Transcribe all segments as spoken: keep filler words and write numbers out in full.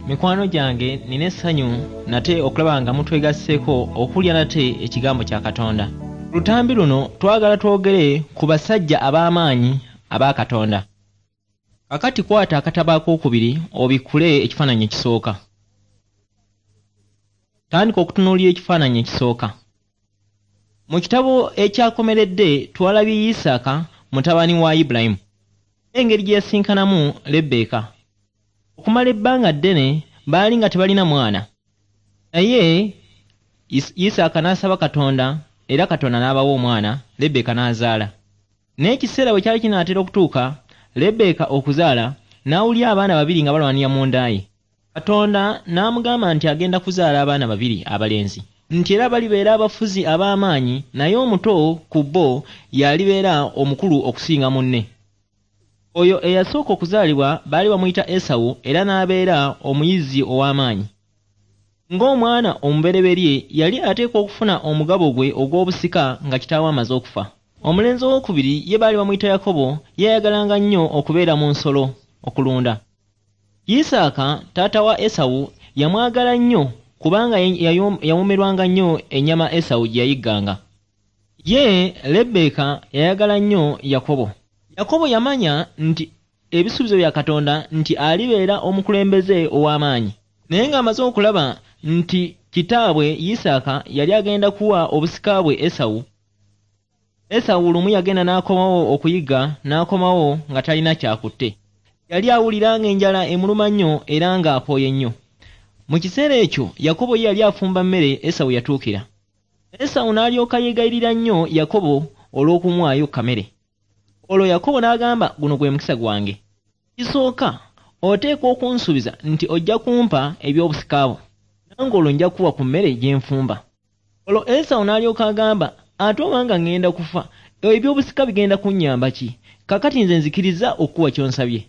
Mikwano gyange, nina essanyu nate okulaba nga mutwegasseeko okulya nate ekigambo kya Katonda. Lutambi luno twagala twogere ku basajja ab'amaanyi aba Katonda. Kakati kwata akatabo akookubiri obikkule ekifaananyi ekisooka. Tandika okutunuulira ekifaananyi ekisooka. Mu kitabo ekyakomeredde twalabye Isaaka mutabani wa Ibulayimu, engeri gye yasinkanamu Lebbeeka. Okumala ebbanga ddene baali nga tebalina mwana, naye Isaaka n'asaba Katonda era Katonda n'abawa omwana, Lebbeeka n'azaala. Naye ekiseera bwe kyali kinaatera okutuuka Lebbeeka okuzaala, n'awulira abaana babiri nga balwanira mu nda ye. Katonda n'amugamba nti agenda kuzaala abaana babiri abalenzi, nti era balibeera abafuzi ab'amaanyi, naye omuto ku bo y'alibeera omukulu okusinga munne. Oyo eyasooka okuzaalibwa baali bamuyita Esawu era n'abeera omuyizzi ow'amaanyi. Ng'omwana omubereberye yali ateekwa okufuna omugabo gwe ogw'obusika nga kitaawe amaze okufa. Omulenzi owookubiri ye baali bamuyita Yakobo, ye yayagalanga nnyo okubeera mu nsolo okulunda. Isaaka taata wa Esawu yamwagala nnyo kubanga yawoomerwanga nnyo ennyama Esawu gye yayigganga. Ye Lebbeeka yayagala nnyo Yakobo. Yakobo yamanya nti ebisuubizo bya Katonda nti alibeera omukulembeze ow'amaanyi. Naye ng'amaze okulaba nti kitaabwe Isaaka yali agenda kuwa obusika bwe Esawu. Esawu lumu yagenda n'akomawo okuyigga, n'akomawo nga talina kyakutte. Yali awulira ng'enjala emuluma nnyo era ng'akooye nnyo. Mu kiseera ekyo Yakobo ye yali afumba mmere Esawu yatuukira. Esawu n'alyoka yeegayirira nnyo Yakobo olw'okumuwaayo kamere. Olwo Yakobo n'agamba, guno gwe mukisa gwange. Kisooka oteekwa okunsuubiza nti ojja kumpa eby'obusika bwo, nange olwo nja kuwa ku mmere gye nfumba. Olwo Esawu n'alyoka agamba, ate obanga ŋŋenda kufa, eby'obusika bigenda kunnyamba ki? Kaakati nze nzikiriza okukuwa ky'onsabye.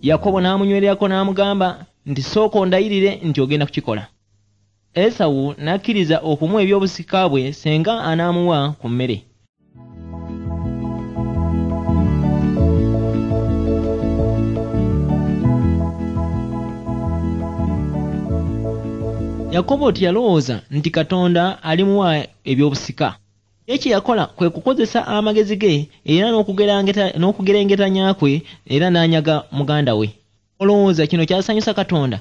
Yakobo n'amunywererako n'amugamba nti sooka ondayirire nti ogenda kukikola. Esawu n'akkiriza okumuwa eby'obusika bwe senga anaamuwa ku mmere. Yakobo teyalowooza nti Katonda alimuwa eby'obusika. Ye kye yakola kwe kukozesa amagezi ge era n'okugerengetanya kwe era n'anyaga muganda we. Olowooza kino kyasanyusa Katonda?